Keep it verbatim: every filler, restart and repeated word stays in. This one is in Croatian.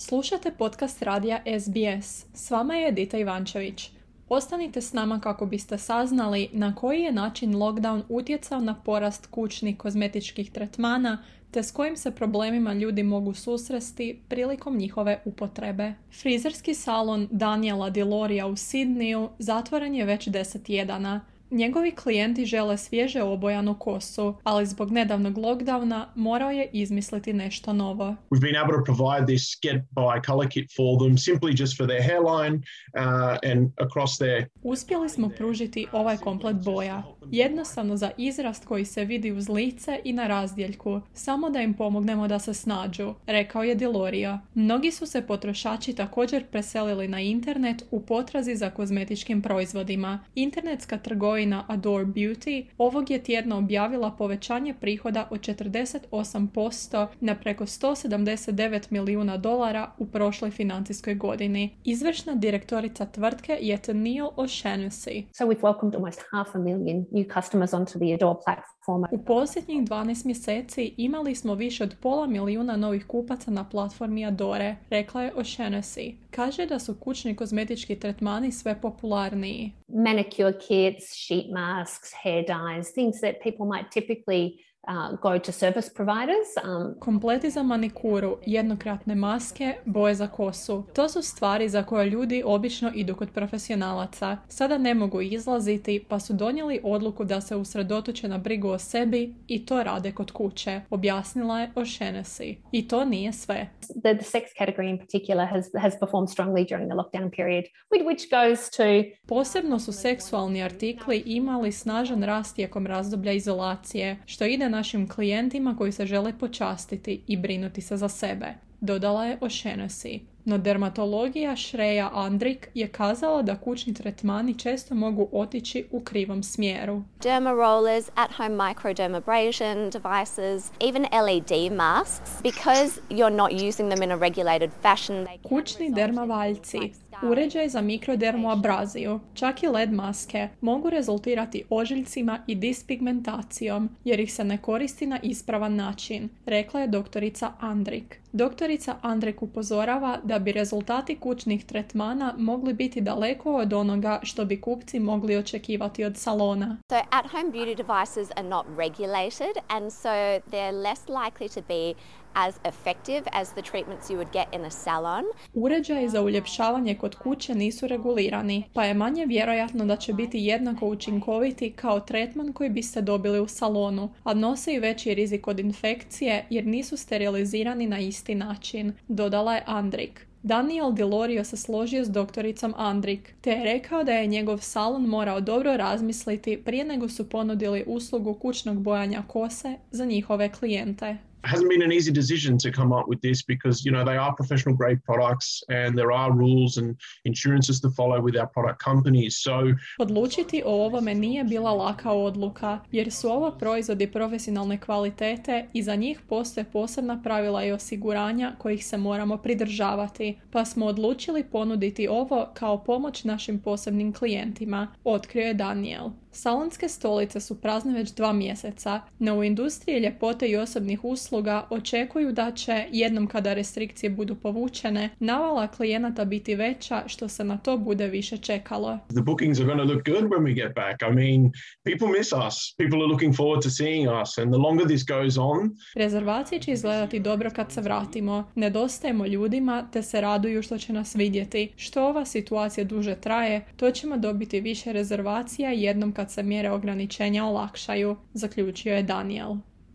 Slušate podcast radija S B S. S vama je Edita Ivančević. Ostanite s nama kako biste saznali na koji je način lockdown utjecao na porast kućnih kozmetičkih tretmana te s kojim se problemima ljudi mogu susresti prilikom njihove upotrebe. Frizerski salon Daniela Diloria u Sydneyu zatvoren je već deset tjedana. Njegovi klijenti žele svježe obojanu kosu, ali zbog nedavnog lockdowna morao je izmisliti nešto novo. We've been able to provide this get by color kit for them simply just for their hairline uh, and across their... Uspjeli smo pružiti ovaj komplet boja, jednostavno za izrast koji se vidi uz lice i na razdjeljku, samo da im pomognemo da se snađu, rekao je Diloria. Mnogi su se potrošači također preselili na internet u potrazi za kozmetičkim proizvodima. Internetska trgovina Adore Beauty ovog je tjedna objavila povećanje prihoda od četrdeset osam posto na preko sto sedamdeset devet milijuna dolara u prošloj financijskoj godini. Izvršna direktorica tvrtke je Tennille O'Shannessy. So we've welcomed almost half a million new customers onto the Adore platform. U posljednjih dvanaest mjeseci imali smo više od pola milijuna novih kupaca na platformi Adore, rekla je O'Shannessy. Kaže da su kućni kozmetički tretmani sve popularniji. Manicure kits, sheet masks, hair dyes, things that people might typically Uh, go to service providers. Um, Kompleti za manikuru, jednokratne maske, boje za kosu. To su stvari za koje ljudi obično idu kod profesionalaca. Sada ne mogu izlaziti, pa su donijeli odluku da se usredotoče na brigu o sebi i to rade kod kuće, objasnila je O'Shannessy. I to nije sve. The, the sex category in particular has, has performed strongly during the lockdown period, which goes to... Posebno su seksualni artikli imali snažan rast tijekom razdoblja izolacije, što ide našim klijentima koji se žele počastiti i brinuti se za sebe, dodala je O'Shannessy. No dermatologija Shreya Andrik je kazala da kućni tretmani često mogu otići u krivom smjeru. Derma rollers, at-home microdermabrasion devices, even L E D masks, because you're not using them in a regulated fashion. Kućni dermavaljci, uređaj za mikrodermoabraziju, čak i L E D maske mogu rezultirati ožiljcima i dispigmentacijom jer ih se ne koristi na ispravan način, rekla je doktorica Andrik. Doktorica Andrik upozorava da bi rezultati kućnih tretmana mogli biti daleko od onoga što bi kupci mogli očekivati od salona. So at-home beauty devices are not regulated and so they're less likely to be as effective as the treatments you would get in a salon. Uređaji za uljepšavanje kod kuće nisu regulirani, pa je manje vjerojatno da će biti jednako učinkoviti kao tretman koji biste dobili u salonu, a nose i veći rizik od infekcije jer nisu sterilizirani na isti način, dodala je Andrik. Daniel Dilorio se složio s doktoricom Andrik, te je rekao da je njegov salon morao dobro razmisliti prije nego su ponudili uslugu kućnog bojanja kose za njihove klijente. It hasn't been an easy decision to come up with this because, you know, they are professional grade products and there are rules and insurances to follow with our product companies. So Odlučiti o ovome nije bila laka odluka, jer su ovo proizvodi profesionalne kvalitete i za njih postoje posebna pravila i osiguranja kojih se moramo pridržavati, pa smo odlučili ponuditi ovo kao pomoć našim posebnim klijentima, otkrio je Daniel. Salonske stolice su prazne već dva mjeseca, no u industriji ljepote i osobnih usluga očekuju da će, jednom kada restrikcije budu povučene, navala klijenata biti veća što se na to bude više čekalo. the bookings are going to look good when we get back. I mean, people miss us. People are looking forward to seeing us and the longer this goes on... Rezervacije će izgledati dobro kad se vratimo. Nedostajemo ljudima te se raduju što će nas vidjeti. Što ova situacija duže traje, to ćemo dobiti više rezervacija jednom kad se mjere ograničenja olakšaju, zaključio je Daniel.